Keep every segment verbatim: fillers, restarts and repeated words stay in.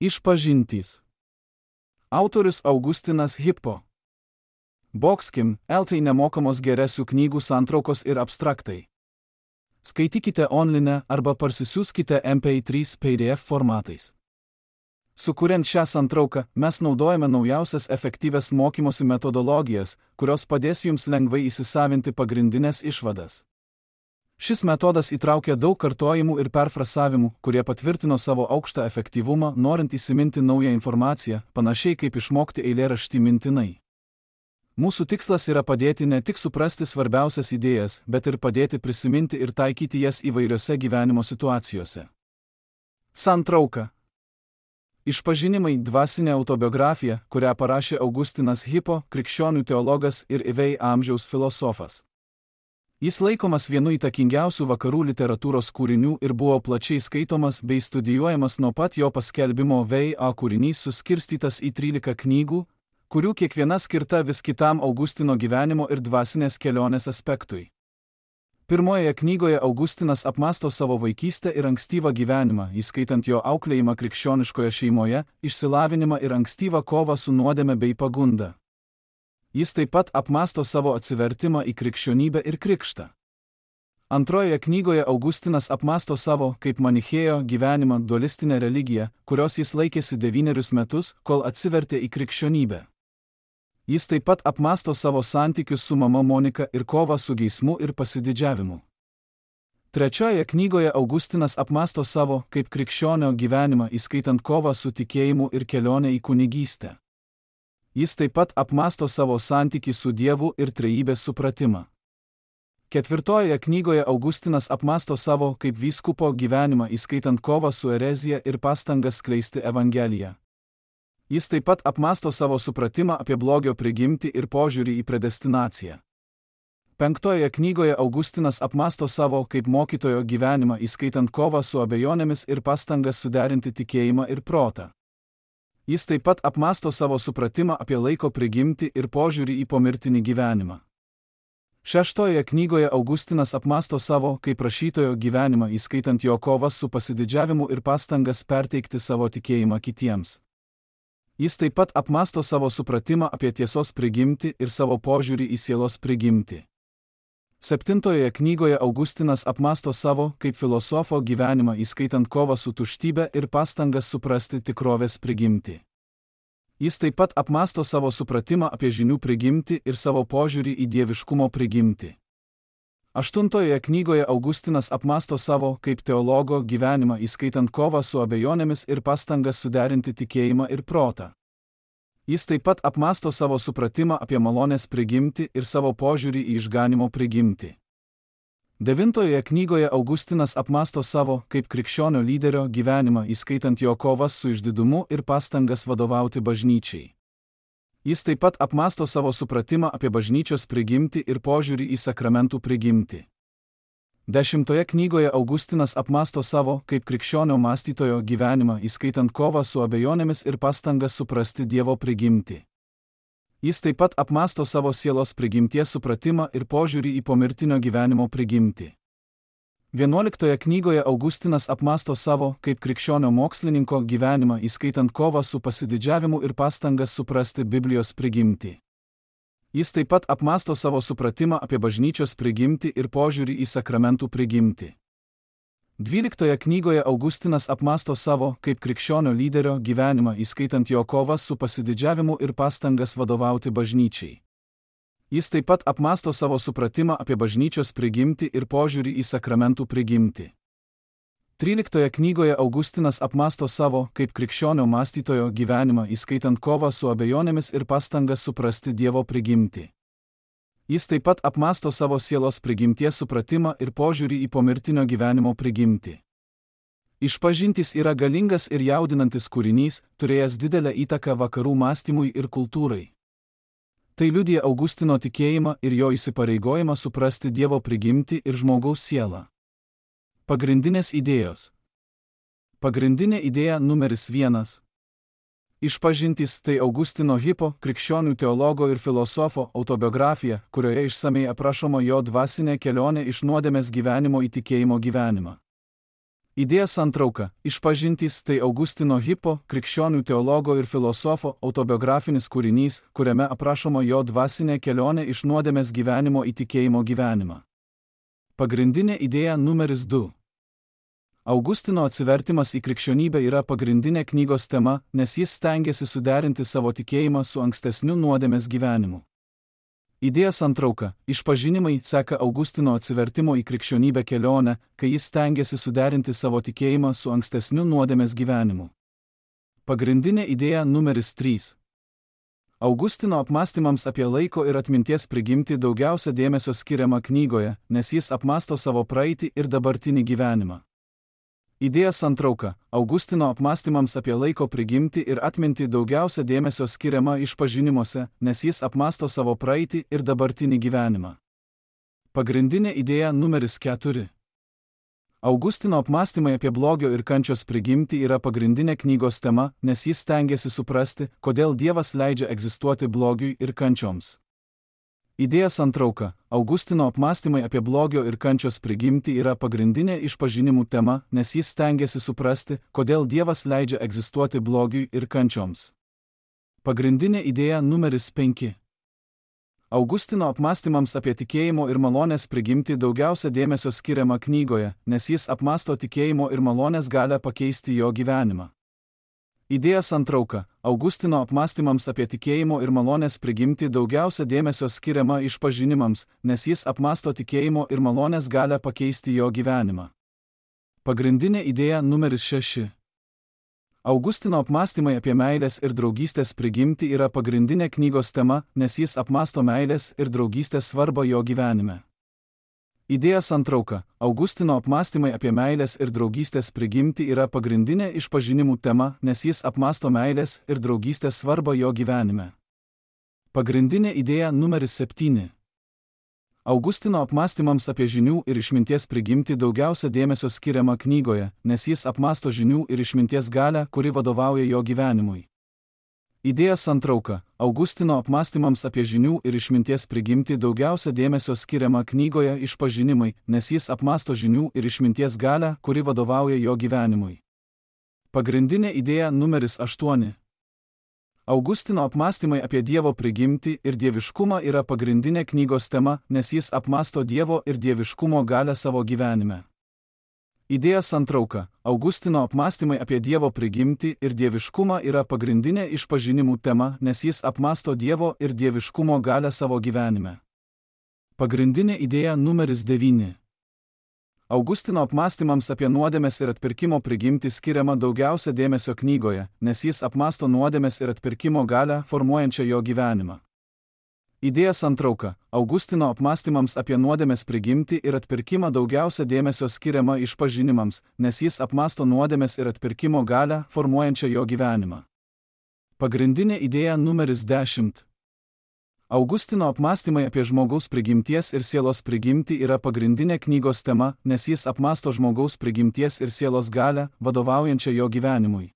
Išpažintys. Autorius Augustinas Hippo. Boxkim, eltai nemokamos geresių knygų santraukos ir abstraktai. Skaitykite online arba parsisiųskite M P trys P D F formatais. Sukuriant šią santrauką, mes naudojame naujausias efektyvias mokymosi metodologijas, kurios padės jums lengvai įsisavinti pagrindinės išvadas. Šis metodas įtraukia daug kartojimų ir perfrasavimų, kurie patvirtino savo aukštą efektyvumą, norint įsiminti naują informaciją, panašiai kaip išmokti eilėraštį mintinai. Mūsų tikslas yra padėti ne tik suprasti svarbiausias idėjas, bet ir padėti prisiminti ir taikyti jas įvairiose gyvenimo situacijose. Santrauka. Išpažinimai – dvasinė autobiografija, kurią parašė Augustinas Hippo, krikščionių teologas ir įvei amžiaus filosofas. Jis laikomas vienu įtakingiausių vakarų literatūros kūrinių ir buvo plačiai skaitomas bei studijuojamas nuo pat jo paskelbimo. V A kūrinys suskirstytas į trylika knygų, kurių kiekviena skirta vis kitam Augustino gyvenimo ir dvasinės kelionės aspektui. Pirmojoje knygoje Augustinas apmąsto savo vaikystę ir ankstyvą gyvenimą, įskaitant jo auklėjimą krikščioniškoje šeimoje, išsilavinimą ir ankstyvą kovą su nuodėme bei pagunda. Jis taip pat apmąsto savo atsivertimą į krikščionybę ir krikštą. Antrojoje knygoje Augustinas apmąsto savo, kaip manichėjo, gyvenimą, dualistinę religiją, kurios jis laikėsi devynerius metus, kol atsivertė į krikščionybę. Jis taip pat apmąsto savo santykius su mama Monika ir kovą su geismu ir pasididžiavimu. Trečiojoje knygoje Augustinas apmąsto savo, kaip krikščionio gyvenimą, įskaitant kovą su tikėjimu ir kelionę į kunigystę. Jis taip pat apmąsto savo santykį su Dievu ir trejybės supratimą. Ketvirtojoje knygoje Augustinas apmąsto savo kaip vyskupo gyvenimą, įskaitant kovą su erezija ir pastangas skleisti evangeliją. Jis taip pat apmąsto savo supratimą apie blogio prigimtį ir požiūrį į predestinaciją. Penktojoje knygoje Augustinas apmąsto savo kaip mokytojo gyvenimą, įskaitant kovą su abejonėmis ir pastangas suderinti tikėjimą ir protą. Jis taip pat apmąsto savo supratimą apie laiko prigimtį ir požiūrį į pomirtinį gyvenimą. Šeštojoje knygoje Augustinas apmąsto savo kaip rašytojo gyvenimą, įskaitant jo kovas su pasididžiavimu ir pastangas perteikti savo tikėjimą kitiems. Jis taip pat apmąsto savo supratimą apie tiesos prigimtį ir savo požiūrį į sielos prigimtį. Septintojoje knygoje Augustinas apmąsto savo kaip filosofo gyvenimą, įskaitant kovą su tuštybė ir pastangas suprasti tikrovės prigimtį. Jis taip pat apmąsto savo supratimą apie žinių prigimtį ir savo požiūrį į dieviškumo prigimtį. Aštuntojoje knygoje Augustinas apmąsto savo kaip teologo gyvenimą, įskaitant kovą su abejonėmis ir pastangas suderinti tikėjimą ir protą. Jis taip pat apmąsto savo supratimą apie malonės prigimtį ir savo požiūrį į išganimo prigimtį. Devintojoje knygoje Augustinas apmąsto savo kaip krikščionio lyderio gyvenimą, įskaitant jo kovas su išdidumu ir pastangas vadovauti bažnyčiai. Jis taip pat apmąsto savo supratimą apie bažnyčios prigimtį ir požiūrį į sakramentų prigimtį. Dešimtoje knygoje Augustinas apmąsto savo kaip krikščionio mąstytojo gyvenimą, įskaitant kovą su abejonėmis ir pastangas suprasti Dievo prigimtį. Jis taip pat apmąsto savo sielos prigimties supratimą ir požiūrį į pomirtinio gyvenimo prigimtį. Vienuoliktoje knygoje Augustinas apmąsto savo kaip krikščionio mokslininko gyvenimą, įskaitant kovą su pasididžiavimu ir pastangas suprasti Biblijos prigimtį. Jis taip pat apmąsto savo supratimą apie bažnyčios prigimtį ir požiūrį į sakramentų prigimtį. Dvyliktoje knygoje Augustinas apmąsto savo kaip krikščionio lyderio gyvenimą, įskaitant jo kovas su pasididžiavimu ir pastangas vadovauti bažnyčiai. Jis taip pat apmąsto savo supratimą apie bažnyčios prigimtį ir požiūrį į sakramentų prigimtį. Tryliktoje knygoje Augustinas apmąsto savo kaip krikščionio mąstytojo gyvenimą, įskaitant kovą su abejonėmis ir pastangas suprasti Dievo prigimtį. Jis taip pat apmąsto savo sielos prigimties supratimą ir požiūrį į pomirtinio gyvenimo prigimtį. Išpažintys yra galingas ir jaudinantis kūrinys, turėjęs didelę įtaką vakarų mąstymui ir kultūrai. Tai liudija Augustino tikėjimą ir jo įsipareigojimą suprasti Dievo prigimtį ir žmogaus sielą. Pagrindinės idėjos. Pagrindinė idėja numeris vienas. Išpažintys tai Augustino Hippo, krikščionių teologo ir filosofo, autobiografija, kurioje išsamei aprašoma jo dvasinė kelionė iš nuodėmės gyvenimo į tikėjimo gyvenimą. Idėja santrauka. Išpažintys tai Augustino Hippo, krikščionių teologo ir filosofo autobiografinis kūrinys, kuriame aprašoma jo dvasinė kelionė iš nuodėmės gyvenimo į tikėjimo gyvenimą. Pagrindinė idėja numeris du. Augustino atsivertimas į krikščionybę yra pagrindinė knygos tema, nes jis stengiasi suderinti savo tikėjimą su ankstesniu nuodėmės gyvenimu. Idėja santrauka. Išpažinimai seka Augustino atsivertimo į krikščionybę kelionę, kai jis stengiasi suderinti savo tikėjimą su ankstesniu nuodėmės gyvenimu. Pagrindinė idėja numeris trys. Augustino apmąstymams apie laiko ir atminties prigimtį daugiausia dėmesio skiriama knygoje, nes jis apmąsto savo praeitį ir dabartinį gyvenimą. Idėja santrauka. Augustino apmąstymams apie laiko prigimtį ir atmintį daugiausia dėmesio skiriama išpažinimuose, nes jis apmąsto savo praeitį ir dabartinį gyvenimą. Pagrindinė idėja numeris keturi. Augustino apmąstymai apie blogio ir kančios prigimtį yra pagrindinė knygos tema, nes jis stengiasi suprasti, kodėl Dievas leidžia egzistuoti blogiui ir kančioms. Idėja santrauka. Augustino apmąstymai apie blogio ir kančios prigimtį yra pagrindinė išpažinimų tema, nes jis stengiasi suprasti, kodėl Dievas leidžia egzistuoti blogiui ir kančioms. Pagrindinė idėja numeris penki. Augustino apmąstymams apie tikėjimo ir malonės prigimtį daugiausia dėmesio skiriama knygoje, nes jis apmąsto tikėjimo ir malonės galią pakeisti jo gyvenimą. Idėja santrauka. Augustino apmąstymams apie tikėjimo ir malonės prigimtį daugiausia dėmesio skiriama išpažinimams, nes jis apmąsto tikėjimo ir malonės galią pakeisti jo gyvenimą. Pagrindinė idėja numeris šeši. Augustino apmąstymai apie meilės ir draugystės prigimtį yra pagrindinė knygos tema, nes jis apmąsto meilės ir draugystės svarbą jo gyvenime. Idėja santrauka. Augustino apmąstymai apie meilės ir draugystės prigimtį yra pagrindinė išpažinimų tema, nes jis apmąsto meilės ir draugystės svarbą jo gyvenime. Pagrindinė idėja numeris septyni. Augustino apmąstymams apie žinių ir išminties prigimtį daugiausia dėmesio skiriama knygoje, nes jis apmąsto žinių ir išminties galią, kuri vadovauja jo gyvenimui. Idėja santrauka. Augustino apmąstymams apie žinių ir išminties prigimtį daugiausia dėmesio skiriama knygoje išpažinimai, nes jis apmąsto žinių ir išminties galią, kuri vadovauja jo gyvenimui. Pagrindinė idėja numeris aštuoni. Augustino apmąstymai apie Dievo prigimtį ir dieviškumą yra pagrindinė knygos tema, nes jis apmąsto Dievo ir dieviškumo galią savo gyvenime. Idėja santrauka. Augustino apmąstymai apie Dievo prigimtį ir dieviškumą yra pagrindinė išpažinimų tema, nes jis apmąsto Dievo ir dieviškumo galią savo gyvenime. Pagrindinė idėja numeris devyni. Augustino apmąstymams apie nuodėmės ir atpirkimo prigimtį skiriama daugiausia dėmesio knygoje, nes jis apmąsto nuodėmės ir atpirkimo galią, formuojančią jo gyvenimą. Idėja santrauka. Augustino apmąstymams apie nuodėmės prigimtį ir atpirkimą daugiausia dėmesio skiriama išpažinimams, nes jis apmąsto nuodėmės ir atpirkimo galią, formuojančią jo gyvenimą. Pagrindinė idėja numeris dešimt. Augustino apmąstymai apie žmogaus prigimties ir sielos prigimtį yra pagrindinė knygos tema, nes jis apmąsto žmogaus prigimties ir sielos galią, vadovaujančią jo gyvenimui.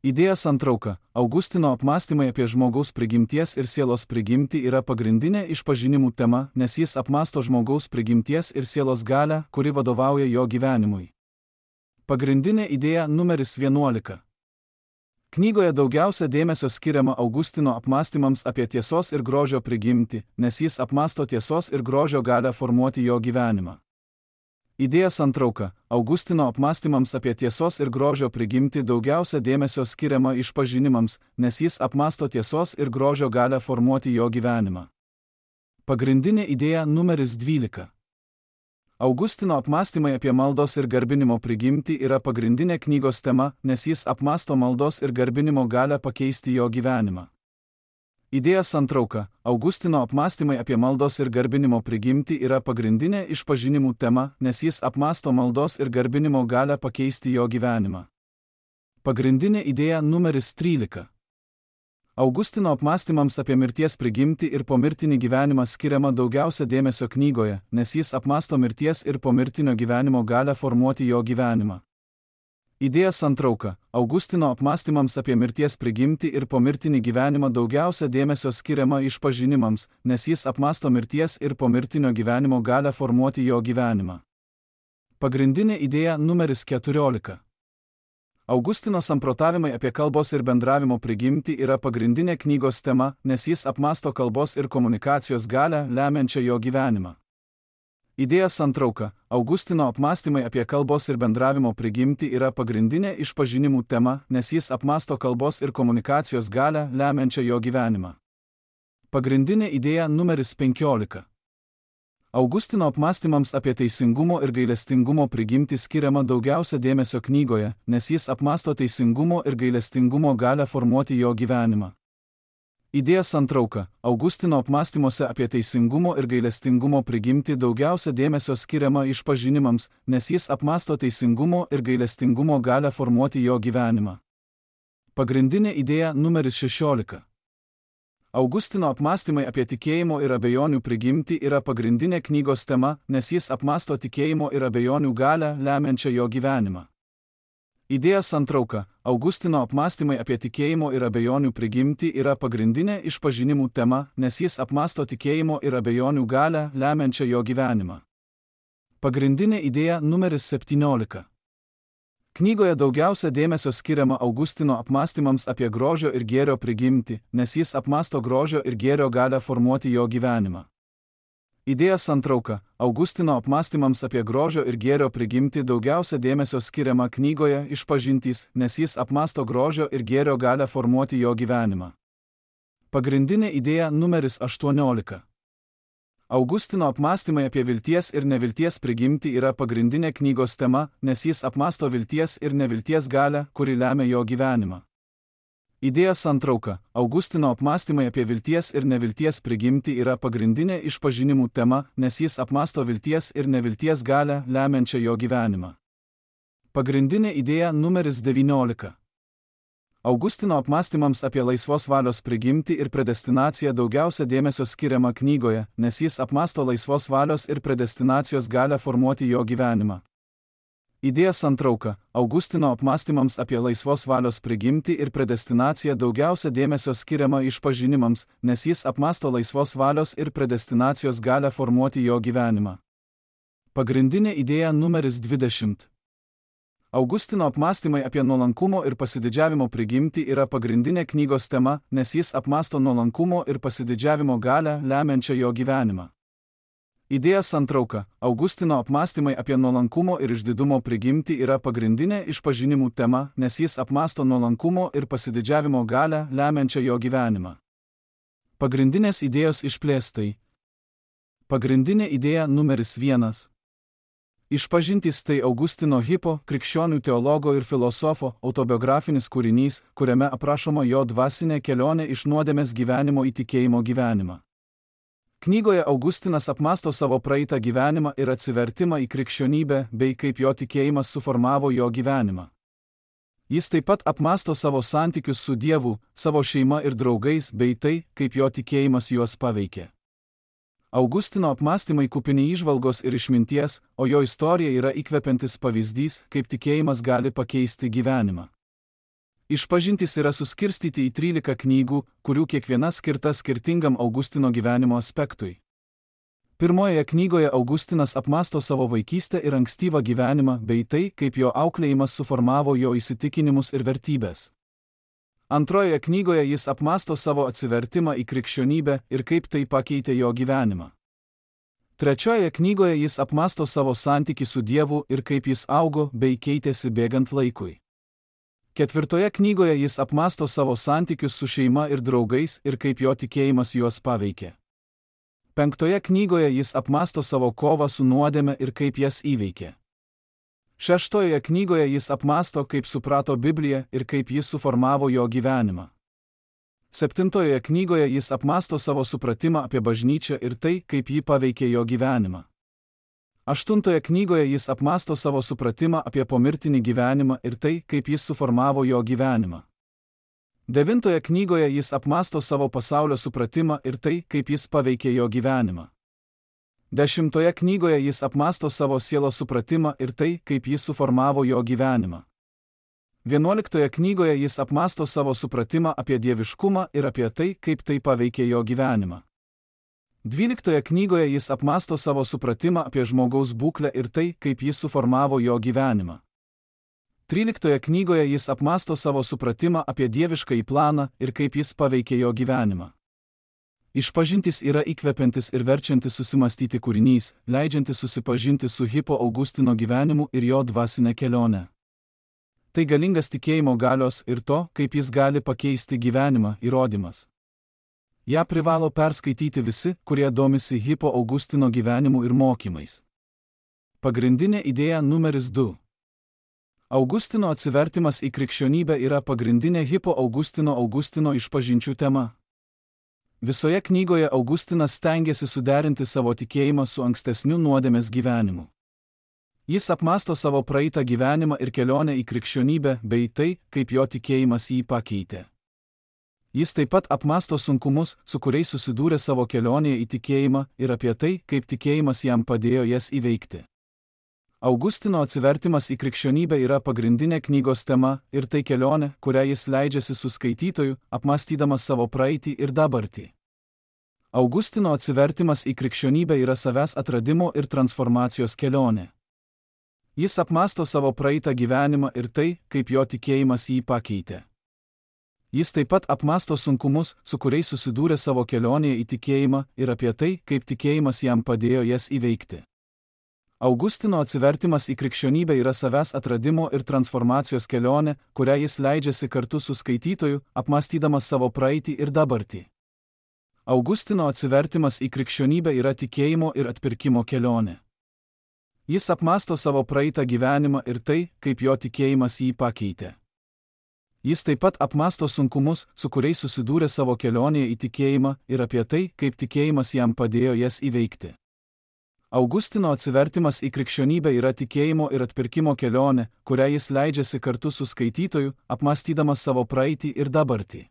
Idėja santrauka. Augustino apmąstymai apie žmogaus prigimties ir sielos prigimtį yra pagrindinė išpažinimų tema, nes jis apmąsto žmogaus prigimties ir sielos galią, kuri vadovauja jo gyvenimui. Pagrindinė idėja numeris vienuolika. Knygoje daugiausia dėmesio skiriama Augustino apmąstymams apie tiesos ir grožio prigimtį, nes jis apmąsto tiesos ir grožio galią formuoti jo gyvenimą. Idėja santrauka. Augustino apmąstymams apie tiesos ir grožio prigimtį daugiausia dėmesio skiriama išpažinimams, nes jis apmąsto tiesos ir grožio galią formuoti jo gyvenimą. Pagrindinė idėja numeris dvylika. Augustino apmąstymai apie maldos ir garbinimo prigimtį yra pagrindinė knygos tema, nes jis apmąsto maldos ir garbinimo galią pakeisti jo gyvenimą. Idėja santrauka. Augustino apmąstymai apie maldos ir garbinimo prigimtį yra pagrindinė išpažinimų tema, nes jis apmąsto maldos ir garbinimo galią pakeisti jo gyvenimą. Pagrindinė idėja numeris trylika. Augustino apmąstymams apie mirties prigimtį ir pomirtinį gyvenimą skiriama daugiausia dėmesio knygoje, nes jis apmąsto mirties ir pomirtinio gyvenimo galią formuoti jo gyvenimą. Idėja santrauka. Augustino apmąstymams apie mirties prigimtį ir pomirtinį gyvenimą daugiausia dėmesio skiriama išpažinimams, nes jis apmąsto mirties ir pomirtinio gyvenimo galią formuoti jo gyvenimą. Pagrindinė idėja numeris keturiolika. Augustino samprotavimai apie kalbos ir bendravimo prigimtį yra pagrindinė knygos tema, nes jis apmąsto kalbos ir komunikacijos galią lemiančią jo gyvenimą. Idėja santrauka. Augustino apmąstymai apie kalbos ir bendravimo prigimtį yra pagrindinė išpažinimų tema, nes jis apmąsto kalbos ir komunikacijos galią lemiančią jo gyvenimą. Pagrindinė idėja numeris penkiolika. Augustino apmąstymams apie teisingumo ir gailestingumo prigimtį skiriama daugiausia dėmesio knygoje, nes jis apmąsto teisingumo ir gailestingumo galią formuoti jo gyvenimą. Idėja santrauka. Augustino apmąstymuose apie teisingumo ir gailestingumo prigimtį daugiausia dėmesio skiriama išpažinimams, nes jis apmąsto teisingumo ir gailestingumo galią formuoti jo gyvenimą. Pagrindinė idėja numeris šešiolika. Augustino apmąstymai apie tikėjimo ir abejonių prigimtį yra pagrindinė knygos tema, nes jis apmąsto tikėjimo ir abejonių galią lemiančią jo gyvenimą. Idėja santrauka. Augustino apmąstymai apie tikėjimo ir abejonių prigimtį yra pagrindinė išpažinimų tema, nes jis apmąsto tikėjimo ir abejonių galią lemiančią jo gyvenimą. Pagrindinė idėja numeris septyniolika. Knygoje daugiausia dėmesio skiriama Augustino apmąstymams apie grožio ir gėrio prigimtį, nes jis apmąsto grožio ir gėrio galią formuoti jo gyvenimą. Idėja santrauka. Augustino apmąstymams apie grožio ir gėrio prigimtį daugiausia dėmesio skiriama knygoje išpažintys, nes jis apmąsto grožio ir gėrio galią formuoti jo gyvenimą. Pagrindinė idėja numeris aštuoniolika. Augustino apmąstymai apie vilties ir nevilties prigimtį yra pagrindinė knygos tema, nes jis apmąsto vilties ir nevilties galią, kuri lemia jo gyvenimą. Idėja santrauka. Augustino apmąstymai apie vilties ir nevilties prigimtį yra pagrindinė išpažinimų tema, nes jis apmąsto vilties ir nevilties galią lemiančią jo gyvenimą. Pagrindinė idėja numeris devyniolika. Augustino apmąstymams apie laisvos valios prigimtį ir predestinaciją daugiausia dėmesio skiriama knygoje, nes jis apmąsto laisvos valios ir predestinacijos galią formuoti jo gyvenimą. Idėja santrauka. Augustino apmąstymams apie laisvos valios prigimtį ir predestinaciją daugiausia dėmesio skiriama išpažinimams, nes jis apmąsto laisvos valios ir predestinacijos galią formuoti jo gyvenimą. Pagrindinė idėja numeris dvidešimt. Augustino apmąstymai apie nuolankumo ir pasididžiavimo prigimtį yra pagrindinė knygos tema, nes jis apmąsto nuolankumo ir pasididžiavimo galią lemiančią jo gyvenimą. Idėja santrauka. Augustino apmąstymai apie nuolankumo ir išdidumo prigimtį yra pagrindinė išpažinimų tema, nes jis apmąsto nuolankumo ir pasididžiavimo galią lemiančią jo gyvenimą. Pagrindinės idėjos išplėstai. Pagrindinė idėja numeris vienas. Išpažintys tai Augustino Hippo, krikščionių teologo ir filosofo, autobiografinis kūrinys, kuriame aprašoma jo dvasinė kelionė iš nuodėmės gyvenimo į tikėjimo gyvenimą. Knygoje Augustinas apmąsto savo praeitą gyvenimą ir atsivertimą į krikščionybę, bei kaip jo tikėjimas suformavo jo gyvenimą. Jis taip pat apmąsto savo santykius su Dievu, savo šeima ir draugais, bei tai, kaip jo tikėjimas juos paveikė. Augustino apmąstymai kupini įžvalgos ir išminties, o jo istorija yra įkvepiantis pavyzdys, kaip tikėjimas gali pakeisti gyvenimą. Išpažintys yra suskirstyti į trylika knygų, kurių kiekviena skirta skirtingam Augustino gyvenimo aspektui. Pirmojoje knygoje Augustinas apmąsto savo vaikystę ir ankstyvą gyvenimą, bei tai, kaip jo auklėjimas suformavo jo įsitikinimus ir vertybės. Antrojoje knygoje jis apmąsto savo atsivertimą į krikščionybę ir kaip tai pakeitė jo gyvenimą. Trečiojoje knygoje jis apmąsto savo santykį su Dievu ir kaip jis augo bei keitėsi bėgant laikui. Ketvirtoje knygoje jis apmąsto savo santykius su šeima ir draugais ir kaip jo tikėjimas juos paveikė. Penktoje knygoje jis apmąsto savo kovą su nuodėme ir kaip jas įveikė. Šeštojoje knygoje jis apmąsto, kaip suprato Bibliją ir kaip jis suformavo jo gyvenimą. Septintojoje knygoje jis apmąsto savo supratimą apie bažnyčią ir tai, kaip ji paveikė jo gyvenimą. Aštuntoje knygoje jis apmąsto savo supratimą apie pomirtinį gyvenimą ir tai, kaip jis suformavo jo gyvenimą. Devintoje knygoje jis apmąsto savo pasaulio supratimą ir tai, kaip jis paveikė jo gyvenimą. Dešimtoje knygoje jis apmąsto savo sielos supratimą ir tai, kaip jis suformavo jo gyvenimą. Vienuoliktoje knygoje jis apmąsto savo supratimą apie dieviškumą ir apie tai, kaip tai paveikė jo gyvenimą. Dvyliktoje knygoje jis apmąsto savo supratimą apie žmogaus būklę ir tai, kaip jis suformavo jo gyvenimą. Tryliktoje knygoje jis apmąsto savo supratimą apie dieviškąjį planą ir kaip jis paveikė jo gyvenimą. Išpažintis yra įkvepiantis ir verčiantis susimastyti kūrinys, leidžiantis susipažinti su Hippo Augustino gyvenimu ir jo dvasinę kelionę. Tai galingas tikėjimo galios ir to, kaip jis gali pakeisti gyvenimą, įrodymas. Ja privalo perskaityti visi, kurie domisi Hippo Augustino gyvenimu ir mokymais. Pagrindinė idėja numeris du. Augustino atsivertimas į krikščionybę yra pagrindinė Hippo Augustino Augustino išpažinčių tema. Visoje knygoje Augustinas stengiasi suderinti savo tikėjimą su ankstesniu nuodėmės gyvenimu. Jis apmąsto savo praeitą gyvenimą ir kelionę į krikščionybę bei tai, kaip jo tikėjimas jį pakeitė. Jis taip pat apmąsto sunkumus, su kuriais susidūrė savo kelionėje į tikėjimą ir apie tai, kaip tikėjimas jam padėjo jas įveikti. Augustino atsivertimas į krikščionybę yra pagrindinė knygos tema ir tai kelionė, kurią jis leidžiasi su skaitytoju, apmąstydamas savo praeitį ir dabartį. Augustino atsivertimas į krikščionybę yra savęs atradimo ir transformacijos kelionė. Jis apmąsto savo praeitą gyvenimą ir tai, kaip jo tikėjimas jį pakeitė. Jis taip pat apmąsto sunkumus, su kuriais susidūrė savo kelionėje į tikėjimą ir apie tai, kaip tikėjimas jam padėjo jas įveikti. Augustino atsivertimas į krikščionybę yra savęs atradimo ir transformacijos kelionė, kurią jis leidžiasi kartu su skaitytoju, apmąstydamas savo praeitį ir dabartį. Augustino atsivertimas į krikščionybę yra tikėjimo ir atpirkimo kelionė. Jis apmąsto savo praeitą gyvenimą ir tai, kaip jo tikėjimas jį pakeitė. Jis taip pat apmąsto sunkumus, su kuriais susidūrė savo kelionėje į tikėjimą ir apie tai, kaip tikėjimas jam padėjo jas įveikti. Augustino atsivertimas į krikščionybę yra tikėjimo ir atpirkimo kelionė, kurią jis leidžiasi kartu su skaitytoju, apmąstydamas savo praeitį ir dabartį.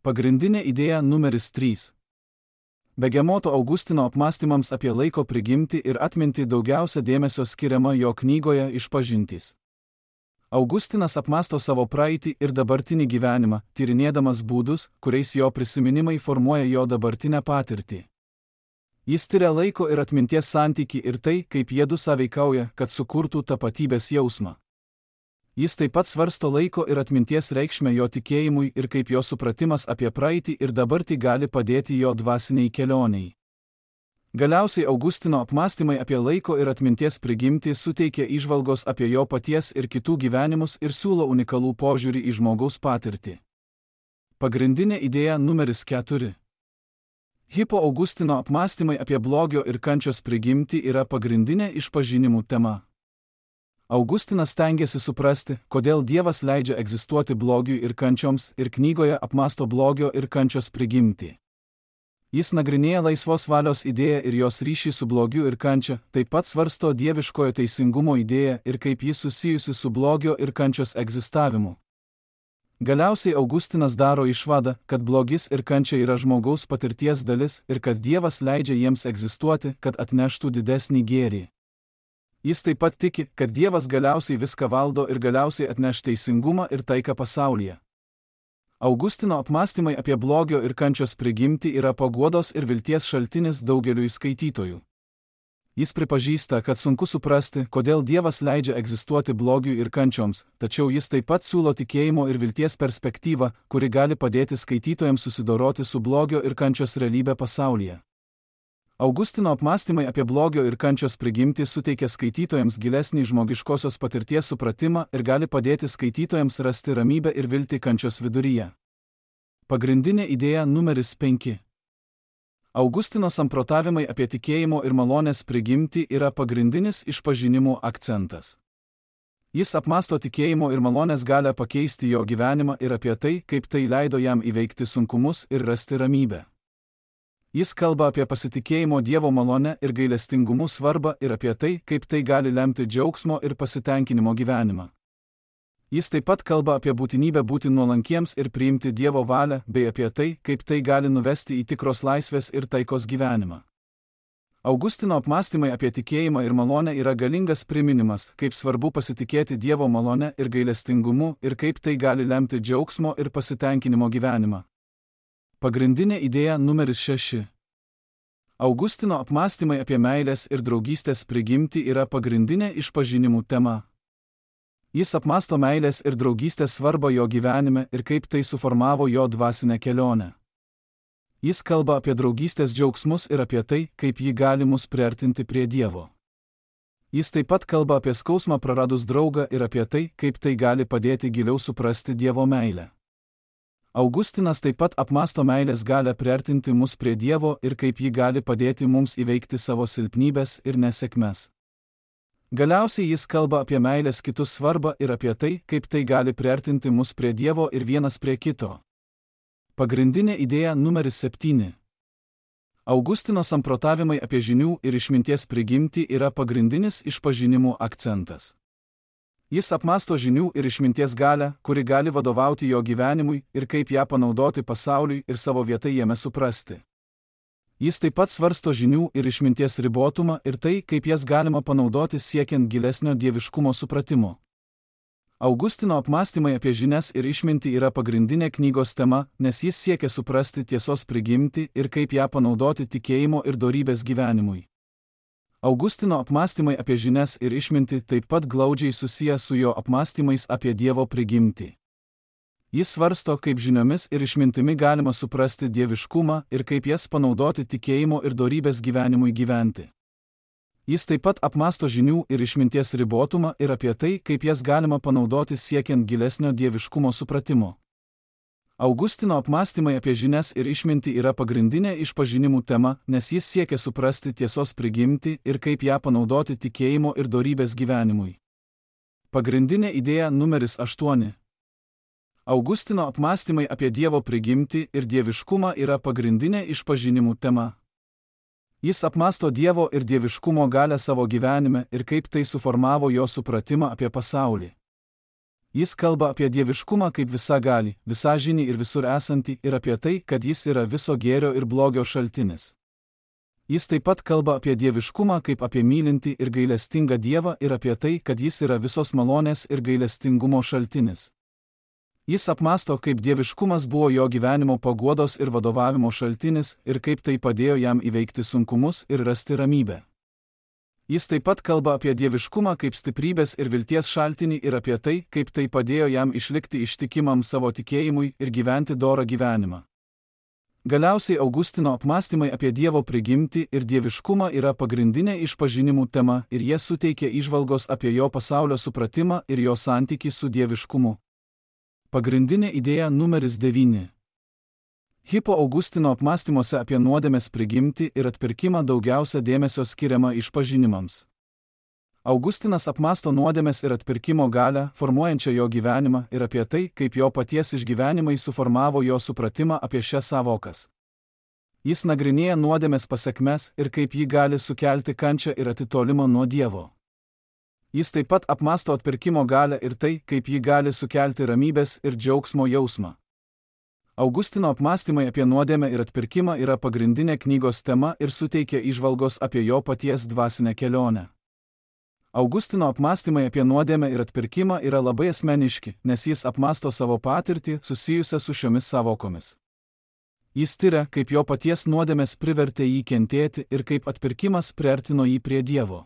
Pagrindinė idėja numeris trys. Begemoto Augustino apmąstymams apie laiko prigimtį ir atmintį daugiausia dėmesio skiriama jo knygoje Išpažintys. Augustinas apmąsto savo praeitį ir dabartinį gyvenimą, tyrinėdamas būdus, kuriais jo prisiminimai formuoja jo dabartinę patirtį. Jis tiria laiko ir atminties santykį ir tai, kaip jiedu sąveikauja, kad sukurtų tapatybės jausmą. Jis taip pat svarsto laiko ir atminties reikšmę jo tikėjimui ir kaip jo supratimas apie praeitį ir dabartį gali padėti jo dvasiniai kelioniai. Galiausiai Augustino apmąstymai apie laiko ir atminties prigimtį suteikia įžvalgos apie jo paties ir kitų gyvenimus ir siūlo unikalų požiūrį į žmogaus patirtį. Pagrindinė idėja numeris keturi. Hippo Augustino apmąstymai apie blogio ir kančios prigimtį yra pagrindinė išpažinimų tema. Augustinas stengiasi suprasti, kodėl Dievas leidžia egzistuoti blogiui ir kančioms ir knygoje apmąsto blogio ir kančios prigimtį. Jis nagrinėja laisvos valios idėją ir jos ryšį su blogiu ir kančia, taip pat svarsto dieviškojo teisingumo idėją ir kaip jis susijusi su blogio ir kančios egzistavimu. Galiausiai Augustinas daro išvadą, kad blogis ir kančia yra žmogaus patirties dalis ir kad Dievas leidžia jiems egzistuoti, kad atneštų didesnį gėrį. Jis taip pat tiki, kad Dievas galiausiai viską valdo ir galiausiai atneš teisingumą ir taiką pasaulyje. Augustino apmąstymai apie blogio ir kančios prigimtį yra paguodos ir vilties šaltinis daugeliui skaitytojų. Jis pripažįsta, kad sunku suprasti, kodėl Dievas leidžia egzistuoti blogiui ir kančioms, tačiau jis taip pat siūlo tikėjimo ir vilties perspektyvą, kuri gali padėti skaitytojams susidoroti su blogio ir kančios realybė pasaulyje. Augustino apmąstymai apie blogio ir kančios prigimtį suteikia skaitytojams gilesnį žmogiškosios patirties supratimą ir gali padėti skaitytojams rasti ramybę ir viltį kančios viduryje. Pagrindinė idėja numeris penki. Augustino samprotavimai apie tikėjimo ir malonės prigimtį yra pagrindinis išpažinimų akcentas. Jis apmąsto tikėjimo ir malonės galią pakeisti jo gyvenimą ir apie tai, kaip tai leido jam įveikti sunkumus ir rasti ramybę. Jis kalba apie pasitikėjimo Dievo malonę ir gailestingumų svarbą ir apie tai, kaip tai gali lemti džiaugsmo ir pasitenkinimo gyvenimą. Jis taip pat kalba apie būtinybę būti nuolankiems ir priimti Dievo valią, bei apie tai, kaip tai gali nuvesti į tikros laisvės ir taikos gyvenimą. Augustino apmąstymai apie tikėjimą ir malonę yra galingas priminimas, kaip svarbu pasitikėti Dievo malone ir gailestingumu ir kaip tai gali lemti džiaugsmo ir pasitenkinimo gyvenimą. Pagrindinė idėja numeris šeši. Augustino apmąstymai apie meilės ir draugystės prigimtį yra pagrindinė išpažinimų tema. Jis apmąsto meilės ir draugystės svarbą jo gyvenime ir kaip tai suformavo jo dvasinę kelionę. Jis kalba apie draugystės džiaugsmus ir apie tai, kaip ji gali mus priartinti prie Dievo. Jis taip pat kalba apie skausmą praradus draugą ir apie tai, kaip tai gali padėti giliau suprasti Dievo meilę. Augustinas taip pat apmąsto meilės galią priartinti mus prie Dievo ir kaip ji gali padėti mums įveikti savo silpnybes ir nesėkmes. Galiausiai jis kalba apie meilės kitus svarbą ir apie tai, kaip tai gali priartinti mus prie Dievo ir vienas prie kito. Pagrindinė idėja numeris septyni. Augustino samprotavimai apie žinių ir išminties prigimtį yra pagrindinis išpažinimų akcentas. Jis apmąsto žinių ir išminties galią, kuri gali vadovauti jo gyvenimui ir kaip ją panaudoti pasauliui ir savo vietą jame suprasti. Jis taip pat svarsto žinių ir išminties ribotumą ir tai, kaip jas galima panaudoti siekiant gilesnio dieviškumo supratimo. Augustino apmąstymai apie žinias ir išmintį yra pagrindinė knygos tema, nes jis siekia suprasti tiesos prigimtį ir kaip ją panaudoti tikėjimo ir dorybės gyvenimui. Augustino apmąstymai apie žinias ir išmintį taip pat glaudžiai susiję su jo apmąstymais apie Dievo prigimtį. Jis svarsto, kaip žiniomis ir išmintimi galima suprasti dieviškumą ir kaip jas panaudoti tikėjimo ir dorybės gyvenimui gyventi. Jis taip pat apmąsto žinių ir išminties ribotumą ir apie tai, kaip jas galima panaudoti siekiant gilesnio dieviškumo supratimo. Augustino apmąstymai apie žinias ir išmintį yra pagrindinė išpažinimų tema, nes jis siekia suprasti tiesos prigimtį ir kaip ją panaudoti tikėjimo ir dorybės gyvenimui. Pagrindinė idėja numeris aštuoni. Augustino apmąstymai apie Dievo prigimtį ir dieviškumą yra pagrindinė išpažinimų tema. Jis apmąsto Dievo ir dieviškumo galią savo gyvenime ir kaip tai suformavo jo supratimą apie pasaulį. Jis kalba apie dieviškumą kaip visagalį, visažinį ir visur esantį ir apie tai, kad jis yra viso gėrio ir blogio šaltinis. Jis taip pat kalba apie dieviškumą kaip apie mylintį ir gailestingą Dievą ir apie tai, kad jis yra visos malonės ir gailestingumo šaltinis. Jis apmąsto, kaip dieviškumas buvo jo gyvenimo paguodos ir vadovavimo šaltinis ir kaip tai padėjo jam įveikti sunkumus ir rasti ramybę. Jis taip pat kalba apie dieviškumą kaip stiprybės ir vilties šaltinį ir apie tai, kaip tai padėjo jam išlikti ištikimam savo tikėjimui ir gyventi dorą gyvenimą. Galiausiai Augustino apmąstymai apie Dievo prigimtį ir dieviškumą yra pagrindinė išpažinimų tema ir jie suteikia įžvalgos apie jo pasaulio supratimą ir jo santykį su dieviškumu. Pagrindinė idėja numeris devyni. Hippo Augustino apmąstymuose apie nuodėmės prigimtį ir atpirkimą daugiausia dėmesio skiriama išpažinimams. Augustinas apmąsto nuodėmės ir atpirkimo galią, formuojančią jo gyvenimą ir apie tai, kaip jo paties išgyvenimai suformavo jo supratimą apie šias savokas. Jis nagrinėja nuodėmės pasekmes ir kaip ji gali sukelti kančią ir atitolimą nuo Dievo. Jis taip pat apmąsto atpirkimo galią ir tai, kaip ji gali sukelti ramybės ir džiaugsmo jausmą. Augustino apmąstymai apie nuodėmę ir atpirkimą yra pagrindinė knygos tema ir suteikia įžvalgos apie jo paties dvasinę kelionę. Augustino apmąstymai apie nuodėmę ir atpirkimą yra labai asmeniški, nes jis apmąsto savo patirtį susijusią su šiomis savokomis. Jis tiria, kaip jo paties nuodėmės privertė jį kentėti ir kaip atpirkimas priartino jį prie Dievo.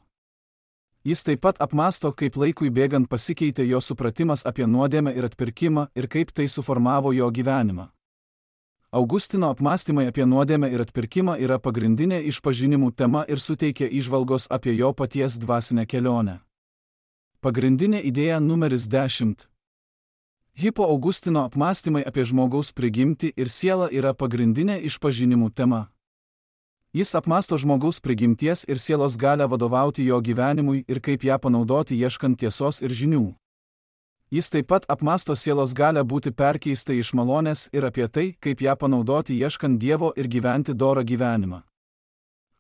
Jis taip pat apmąsto, kaip laikui bėgant pasikeitė jo supratimas apie nuodėmę ir atpirkimą ir kaip tai suformavo jo gyvenimą. Augustino apmąstymai apie nuodėmę ir atpirkimą yra pagrindinė išpažinimų tema ir suteikia įžvalgos apie jo paties dvasinę kelionę. Pagrindinė idėja numeris dešimt. Hippo Augustino apmąstymai apie žmogaus prigimtį ir sielą yra pagrindinė išpažinimų tema. Jis apmąsto žmogaus prigimties ir sielos galią vadovauti jo gyvenimui ir kaip ją panaudoti ieškant tiesos ir žinių. Jis taip pat apmąsto sielos galią būti perkeista iš malonės ir apie tai, kaip ją panaudoti ieškant Dievo ir gyventi dorą gyvenimą.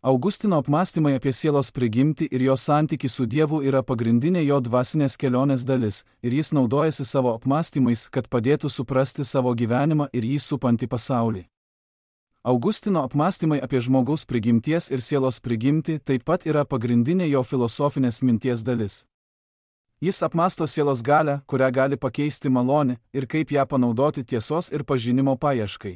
Augustino apmąstymai apie sielos prigimtį ir jo santykį su Dievu yra pagrindinė jo dvasinės kelionės dalis ir jis naudojasi savo apmąstymais, kad padėtų suprasti savo gyvenimą ir jį supantį pasaulį. Augustino apmąstymai apie žmogaus prigimties ir sielos prigimtį taip pat yra pagrindinė jo filosofinės minties dalis. Jis apmąsto sielos galią, kurią gali pakeisti malonė, ir kaip ją panaudoti tiesos ir pažinimo paieškai.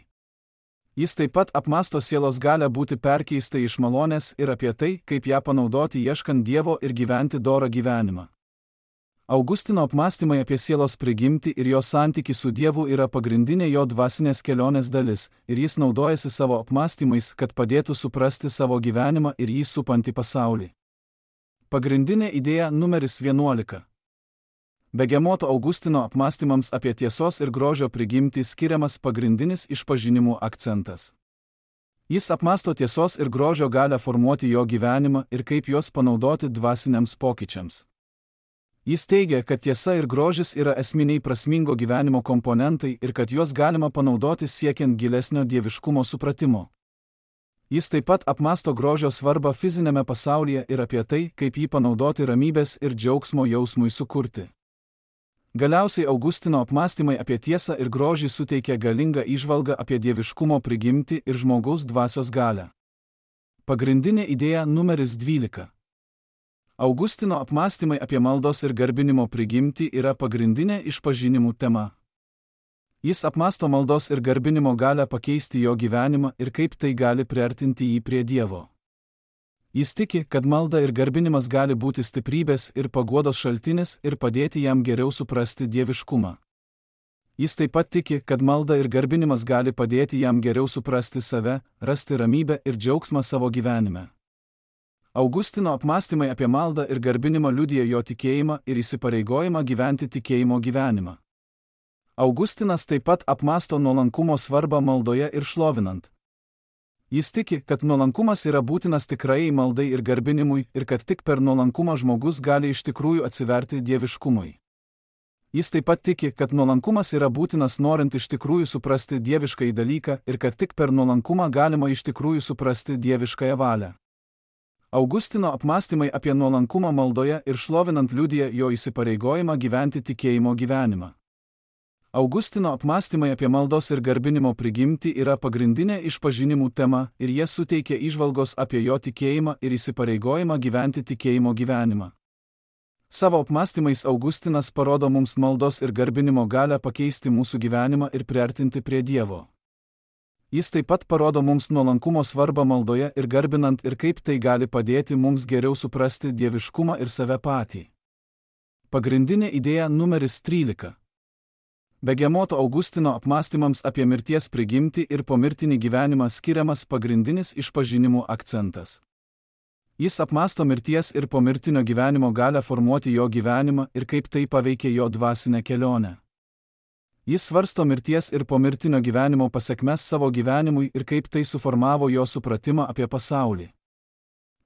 Jis taip pat apmąsto sielos galią būti perkeista iš malonės ir apie tai, kaip ją panaudoti ieškant Dievo ir gyventi dorą gyvenimą. Augustino apmąstymai apie sielos prigimtį ir jo santykį su Dievu yra pagrindinė jo dvasinės kelionės dalis, ir jis naudojasi savo apmąstymais, kad padėtų suprasti savo gyvenimą ir jį supantį pasaulį. Pagrindinė idėja numeris vienuolika. Begemoto Augustino apmąstymams apie tiesos ir grožio prigimtį skiriamas pagrindinis išpažinimų akcentas. Jis apmąsto tiesos ir grožio galią formuoti jo gyvenimą ir kaip juos panaudoti dvasiniams pokyčiams. Jis teigia, kad tiesa ir grožis yra esminiai prasmingo gyvenimo komponentai ir kad juos galima panaudoti siekiant gilesnio dieviškumo supratimo. Jis taip pat apmąsto grožio svarbą fizinėme pasaulyje ir apie tai, kaip jį panaudoti ramybės ir džiaugsmo jausmui sukurti. Galiausiai Augustino apmąstymai apie tiesą ir grožį suteikia galingą įžvalgą apie dieviškumo prigimtį ir žmogaus dvasios galią. Pagrindinė idėja numeris dvylika. Augustino apmąstymai apie maldos ir garbinimo prigimtį yra pagrindinė išpažinimų tema. Jis apmąsto maldos ir garbinimo galią pakeisti jo gyvenimą ir kaip tai gali priartinti jį prie Dievo. Jis tiki, kad malda ir garbinimas gali būti stiprybės ir paguodos šaltinis ir padėti jam geriau suprasti dieviškumą. Jis taip pat tiki, kad malda ir garbinimas gali padėti jam geriau suprasti save, rasti ramybę ir džiaugsmą savo gyvenime. Augustino apmąstymai apie maldą ir garbinimą liudija jo tikėjimą ir įsipareigojimą gyventi tikėjimo gyvenimą. Augustinas taip pat apmąsto nuolankumo svarbą maldoje ir šlovinant. Jis tiki, kad nuolankumas yra būtinas tikrai maldai ir garbinimui ir kad tik per nuolankumą žmogus gali iš tikrųjų atsiverti dieviškumui. Jis taip pat tiki, kad nuolankumas yra būtinas norint iš tikrųjų suprasti dieviškąjį dalyką ir kad tik per nuolankumą galima iš tikrųjų suprasti dieviškąją valią. Augustino apmąstymai apie nuolankumą maldoje ir šlovinant liudija jo įsipareigojimą gyventi tikėjimo gyvenimą. Augustino apmąstymai apie maldos ir garbinimo prigimtį yra pagrindinė išpažinimų tema ir jie suteikia įžvalgos apie jo tikėjimą ir įsipareigojimą gyventi tikėjimo gyvenimą. Savo apmąstymais Augustinas parodo mums maldos ir garbinimo galią pakeisti mūsų gyvenimą ir priartinti prie Dievo. Jis taip pat parodo mums nuolankumo svarbą maldoje ir garbinant ir kaip tai gali padėti mums geriau suprasti dieviškumą ir save patį. Pagrindinė idėja numeris trylika. Begemoto Augustino apmąstymams apie mirties prigimtį ir pomirtinį gyvenimą skiriamas pagrindinis išpažinimų akcentas. Jis apmąsto mirties ir pomirtinio gyvenimo galią formuoti jo gyvenimą ir kaip tai paveikia jo dvasinę kelionę. Jis svarsto mirties ir pomirtinio gyvenimo pasekmes savo gyvenimui ir kaip tai suformavo jo supratimą apie pasaulį.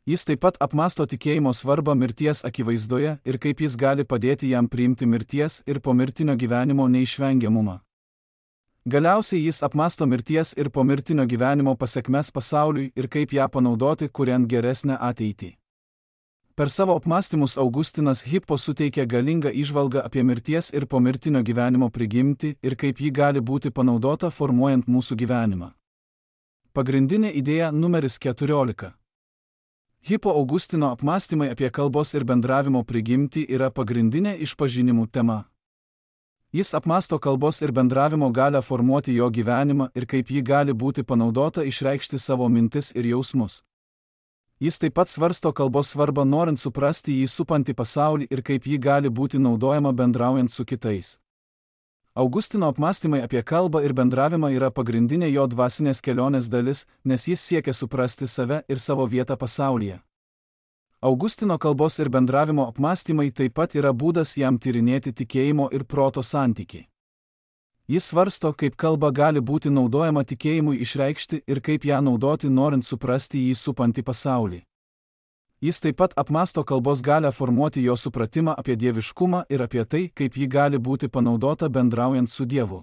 Jis taip pat apmąsto tikėjimo svarbą mirties akivaizdoje ir kaip jis gali padėti jam priimti mirties ir pomirtinio gyvenimo neišvengiamumą. Galiausiai jis apmąsto mirties ir pomirtinio gyvenimo pasekmes pasauliui ir kaip ją panaudoti, kuriant geresnę ateitį. Per savo apmąstymus Augustinas Hippo suteikia galingą įžvalgą apie mirties ir pomirtinio gyvenimo prigimtį ir kaip ji gali būti panaudota formuojant mūsų gyvenimą. Pagrindinė idėja numeris keturiolika. Hippo Augustino apmąstymai apie kalbos ir bendravimo prigimtį yra pagrindinė išpažinimų tema. Jis apmąsto kalbos ir bendravimo galią formuoti jo gyvenimą ir kaip ji gali būti panaudota išreikšti savo mintis ir jausmus. Jis taip pat svarsto kalbos svarbą norint suprasti jį supantį pasaulį ir kaip ji gali būti naudojama bendraujant su kitais. Augustino apmąstymai apie kalbą ir bendravimą yra pagrindinė jo dvasinės kelionės dalis, nes jis siekia suprasti save ir savo vietą pasaulyje. Augustino kalbos ir bendravimo apmąstymai taip pat yra būdas jam tyrinėti tikėjimo ir proto santykį. Jis svarsto, kaip kalba gali būti naudojama tikėjimui išreikšti ir kaip ją naudoti norint suprasti jį supantį pasaulį. Jis taip pat apmąsto kalbos galią formuoti jo supratimą apie dieviškumą ir apie tai, kaip ji gali būti panaudota bendraujant su Dievu.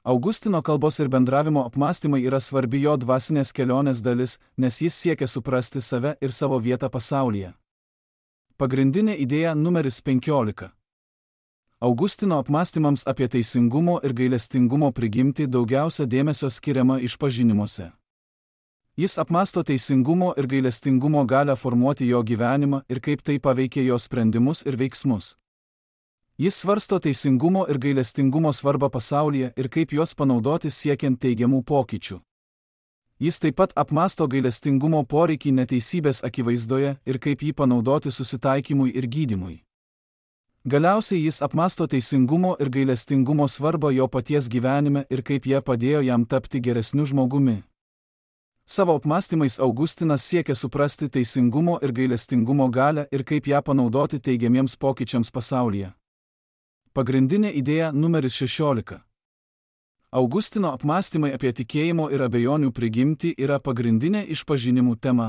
Augustino kalbos ir bendravimo apmąstymai yra svarbi jo dvasinės kelionės dalis, nes jis siekia suprasti save ir savo vietą pasaulyje. Pagrindinė idėja numeris penkiolika. Augustino apmąstymams apie teisingumo ir gailestingumo prigimtį daugiausia dėmesio skiriama išpažinimuose. Jis apmąsto teisingumo ir gailestingumo galią formuoti jo gyvenimą ir kaip tai paveikia jo sprendimus ir veiksmus. Jis svarsto teisingumo ir gailestingumo svarbą pasaulyje ir kaip juos panaudoti siekiant teigiamų pokyčių. Jis taip pat apmąsto gailestingumo poreikį neteisybės akivaizdoje ir kaip jį panaudoti susitaikymui ir gydymui. Galiausiai jis apmąsto teisingumo ir gailestingumo svarbą jo paties gyvenime ir kaip jie padėjo jam tapti geresniu žmogumi. Savo apmąstymais Augustinas siekia suprasti teisingumo ir gailestingumo galią ir kaip ją panaudoti teigiamiems pokyčiams pasaulyje. Pagrindinė idėja numeris šešiolika. Augustino apmąstymai apie tikėjimo ir abejonių prigimtį yra pagrindinė išpažinimų tema.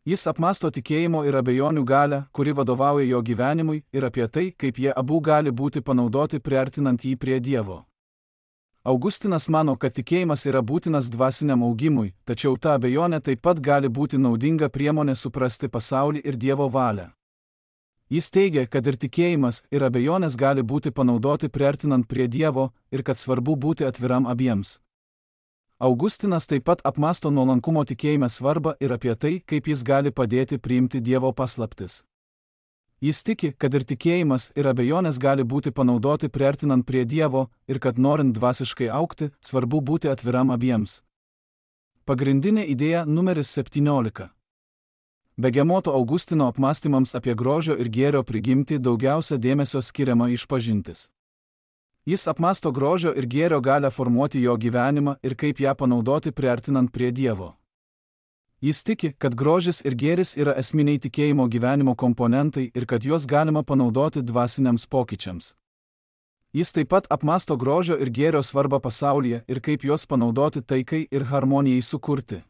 Jis apmąsto tikėjimo ir abejonių galią, kuri vadovauja jo gyvenimui, ir apie tai, kaip jie abu gali būti panaudoti priartinant jį prie Dievo. Augustinas mano, kad tikėjimas yra būtinas dvasiniam augimui, tačiau ta abejonė taip pat gali būti naudinga priemonė suprasti pasaulį ir Dievo valią. Jis teigia, kad ir tikėjimas, ir abejonės gali būti panaudoti priartinant prie Dievo ir kad svarbu būti atviram abiems. Augustinas taip pat apmąsto nuolankumo tikėjime svarbą ir apie tai, kaip jis gali padėti priimti Dievo paslaptis. Jis tiki, kad ir tikėjimas, ir abejonės gali būti panaudoti priartinant prie Dievo ir kad norint dvasiškai augti, svarbu būti atviram abiems. Pagrindinė idėja numeris septyniolika. Begemoto Augustino apmąstymams apie grožio ir gėrio prigimtį daugiausia dėmesio skiriama išpažintis. Jis apmąsto grožio ir gėrio galią formuoti jo gyvenimą ir kaip ją panaudoti priartinant prie Dievo. Jis tiki, kad grožis ir gėris yra esminiai tikėjimo gyvenimo komponentai ir kad juos galima panaudoti dvasiniams pokyčiams. Jis taip pat apmąsto grožio ir gėrio svarbą pasaulyje ir kaip juos panaudoti taikai ir harmonijai sukurti.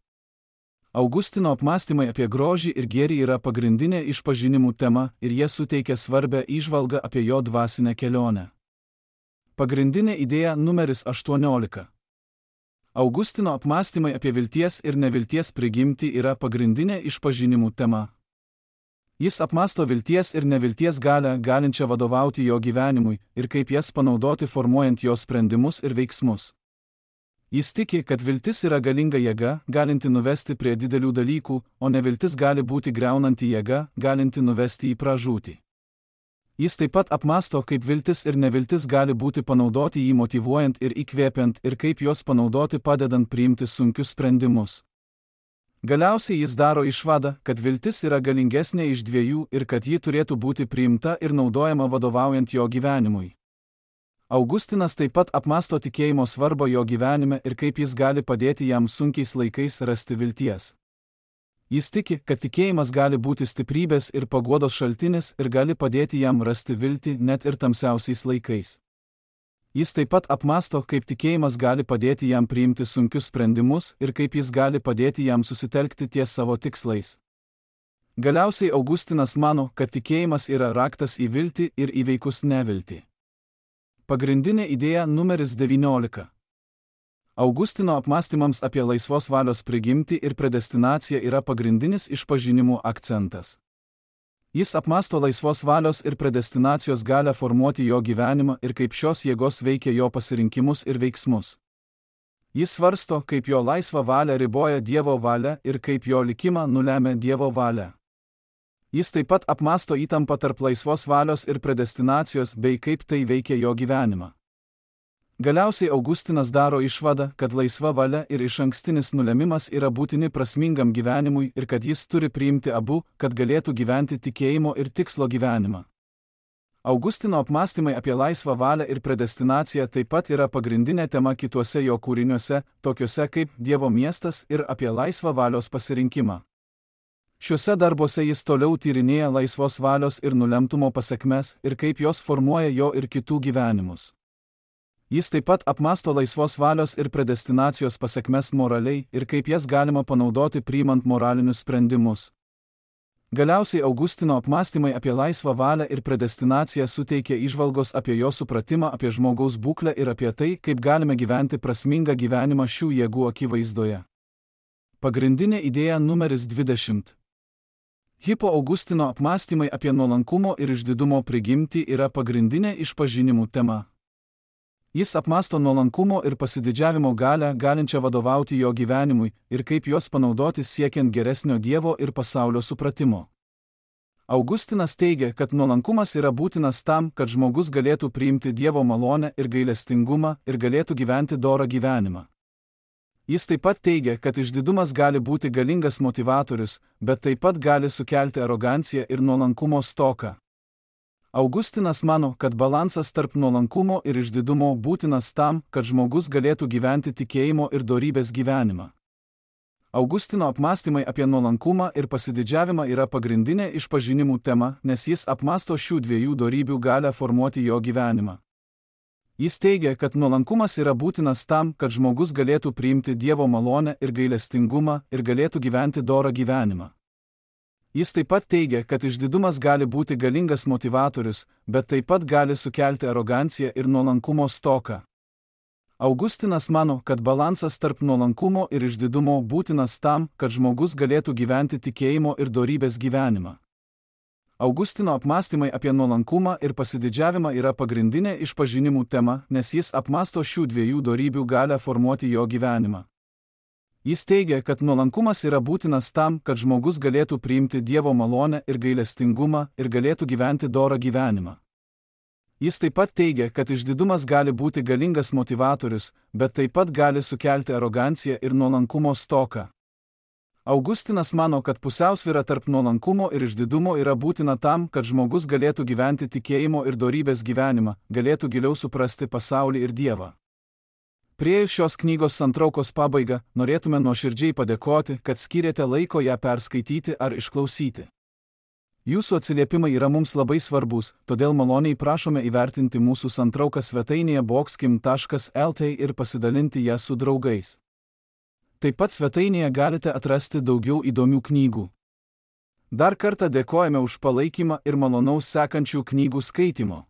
Augustino apmąstymai apie grožį ir gėrį yra pagrindinė išpažinimų tema ir jie suteikia svarbę įžvalgą apie jo dvasinę kelionę. Pagrindinė idėja numeris aštuoniolika. Augustino apmąstymai apie vilties ir nevilties prigimtį yra pagrindinė išpažinimų tema. Jis apmąsto vilties ir nevilties galią, galinčią vadovauti jo gyvenimui ir kaip jas panaudoti formuojant jo sprendimus ir veiksmus. Jis tiki, kad viltis yra galinga jėga, galinti nuvesti prie didelių dalykų, o neviltis gali būti griaunanti jėga, galinti nuvesti į pražūtį. Jis taip pat apmąsto, kaip viltis ir neviltis gali būti panaudoti jį motyvuojant ir įkvėpiant ir kaip juos panaudoti padedant priimti sunkius sprendimus. Galiausiai jis daro išvadą, kad viltis yra galingesnė iš dviejų ir kad ji turėtų būti priimta ir naudojama vadovaujant jo gyvenimui. Augustinas taip pat apmąsto tikėjimo svarbą jo gyvenime ir kaip jis gali padėti jam sunkiais laikais rasti vilties. Jis tiki, kad tikėjimas gali būti stiprybės ir paguodos šaltinis ir gali padėti jam rasti viltį net ir tamsiausiais laikais. Jis taip pat apmąsto, kaip tikėjimas gali padėti jam priimti sunkius sprendimus ir kaip jis gali padėti jam susitelkti ties savo tikslais. Galiausiai Augustinas mano, kad tikėjimas yra raktas į viltį ir įveikus neviltį. Pagrindinė idėja numeris devyniolika. Augustino apmąstymams apie laisvos valios prigimtį ir predestinaciją yra pagrindinis išpažinimų akcentas. Jis apmąsto laisvos valios ir predestinacijos galią formuoti jo gyvenimą ir kaip šios jėgos veikia jo pasirinkimus ir veiksmus. Jis svarsto, kaip jo laisvą valią riboja Dievo valia ir kaip jo likimą nulemia Dievo valia. Jis taip pat apmąsto įtampą tarp laisvos valios ir predestinacijos bei kaip tai veikia jo gyvenimą. Galiausiai Augustinas daro išvadą, kad laisva valia ir išankstinis nulemimas yra būtini prasmingam gyvenimui ir kad jis turi priimti abu, kad galėtų gyventi tikėjimo ir tikslo gyvenimą. Augustino apmąstymai apie laisvą valią ir predestinaciją taip pat yra pagrindinė tema kituose jo kūriniuose, tokiuose kaip Dievo miestas ir apie laisvą valios pasirinkimą. Šiuose darbuose jis toliau tyrinėja laisvos valios ir nulemtumo pasekmes ir kaip jos formuoja jo ir kitų gyvenimus. Jis taip pat apmąsto laisvos valios ir predestinacijos pasekmes moraliai ir kaip jas galima panaudoti priimant moralinius sprendimus. Galiausiai Augustino apmąstymai apie laisvą valią ir predestinaciją suteikia įžvalgos apie jo supratimą apie žmogaus būklę ir apie tai, kaip galime gyventi prasmingą gyvenimą šių jėgų akivaizdoje. Pagrindinė idėja numeris dvidešimt. Hippo Augustino apmąstymai apie nuolankumo ir išdidumo prigimtį yra pagrindinė išpažinimų tema. Jis apmąsto nuolankumo ir pasididžiavimo galią, galinčią vadovauti jo gyvenimui, ir kaip juos panaudoti siekiant geresnio Dievo ir pasaulio supratimo. Augustinas teigia, kad nuolankumas yra būtinas tam, kad žmogus galėtų priimti Dievo malonę ir gailestingumą ir galėtų gyventi dorą gyvenimą. Jis taip pat teigia, kad išdidumas gali būti galingas motivatorius, bet taip pat gali sukelti aroganciją ir nuolankumo stoką. Augustinas mano, kad balansas tarp nuolankumo ir išdidumo būtinas tam, kad žmogus galėtų gyventi tikėjimo ir dorybės gyvenimą. Augustino apmąstymai apie nuolankumą ir pasididžiavimą yra pagrindinė išpažinimų tema, nes jis apmąsto šių dviejų dorybių galią formuoti jo gyvenimą. Jis teigia, kad nuolankumas yra būtinas tam, kad žmogus galėtų priimti Dievo malonę ir gailestingumą ir galėtų gyventi dorą gyvenimą. Jis taip pat teigia, kad išdidumas gali būti galingas motivatorius, bet taip pat gali sukelti aroganciją ir nuolankumo stoką. Augustinas mano, kad balansas tarp nuolankumo ir išdidumo būtinas tam, kad žmogus galėtų gyventi tikėjimo ir dorybės gyvenimą. Augustino apmąstymai apie nuolankumą ir pasididžiavimą yra pagrindinė išpažinimų tema, nes jis apmąsto šių dviejų dorybių galią formuoti jo gyvenimą. Jis teigia, kad nuolankumas yra būtinas tam, kad žmogus galėtų priimti Dievo malonę ir gailestingumą ir galėtų gyventi dorą gyvenimą. Jis taip pat teigia, kad išdidumas gali būti galingas motivatorius, bet taip pat gali sukelti aroganciją ir nuolankumo stoką. Augustinas mano, kad pusiausvyra tarp nuolankumo ir išdidumo yra būtina tam, kad žmogus galėtų gyventi tikėjimo ir dorybės gyvenimą, galėtų giliau suprasti pasaulį ir Dievą. Priėjus šios knygos santraukos pabaigą, norėtume nuoširdžiai padėkoti, kad skyrėte laiko ją perskaityti ar išklausyti. Jūsų atsiliepimai yra mums labai svarbus, todėl maloniai prašome įvertinti mūsų santrauką svetainėje boxkim taškas lt ir pasidalinti ją su draugais. Taip pat svetainėje galite atrasti daugiau įdomių knygų. Dar kartą dėkojame už palaikymą ir malonaus sekančių knygų skaitimo.